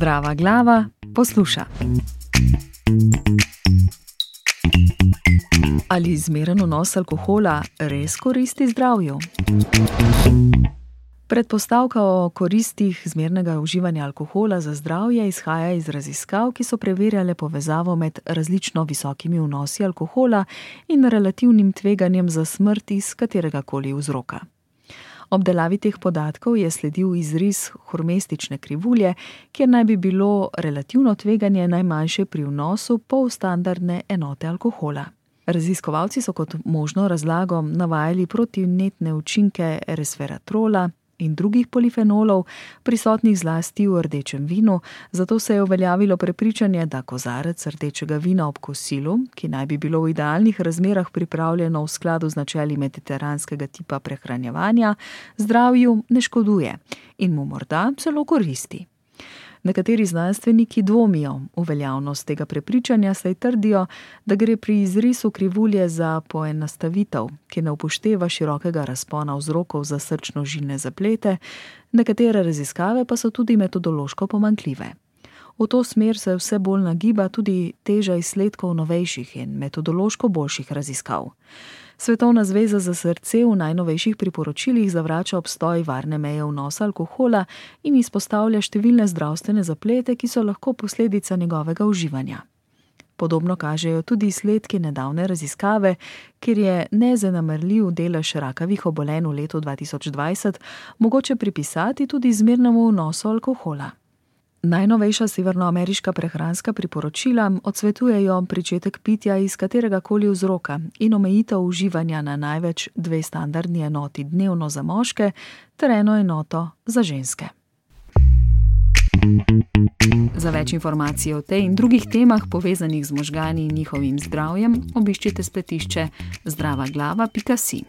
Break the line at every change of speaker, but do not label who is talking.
Zdrava glava posluša. Ali zmeren vnos alkohola res koristi zdravju? Predpostavka o koristih zmernega uživanja alkohola za zdravje izhaja iz raziskav, ki so preverjale povezavo med različno visokimi vnosi alkohola in relativnim tveganjem za smrt iz kateregakoli vzroka. Obdelavi teh podatkov je sledil izris hormestične krivulje, kjer naj bi bilo relativno tveganje najmanjše pri vnosu polstandardne enote alkohola. Raziskovalci so kot možno razlago navajali protivnetne učinke resveratrola in drugih polifenolov, prisotnih zlasti v rdečem vinu, zato se je uveljavilo prepričanje, da kozarec rdečega vina ob kosilu, ki naj bi bilo v idealnih razmerah pripravljeno v skladu z načeli mediteranskega tipa prehranjevanja, zdravju ne škoduje in mu morda celo koristi. Nekateri znanstveniki dvomijo v veljavnost tega prepričanja, saj trdijo, da gre pri izrisu krivulje za poenostavitev, ki ne upošteva širokega razpona vzrokov za srčno-žilne zaplete, nekatere raziskave pa so tudi metodološko pomanjkljive. V to smer se vse bolj nagiba tudi teža izsledkov novejših in metodološko boljših raziskav. Svetovna zveza za srce v najnovejših priporočilih zavrača obstoj varne meje vnosa alkohola in izpostavlja številne zdravstvene zaplete, ki so lahko posledica njegovega uživanja. Podobno kažejo tudi izsledki nedavne raziskave, kjer je nezanemarljiv delež rakavih obolenj v letu 2020 mogoče pripisati tudi zmernemu vnosu alkohola. Najnovejša severnoameriška prehranska priporočila odsvetujejo pričetek pitja iz kateregakoli vzroka in omejitev uživanja na največ 2 standardni enoti dnevno za moške ter 1 enoto za ženske. Za več informacij o tej in drugih temah povezanih z možgani in njihovim zdravjem obiščite spletišče zdravaglava.si.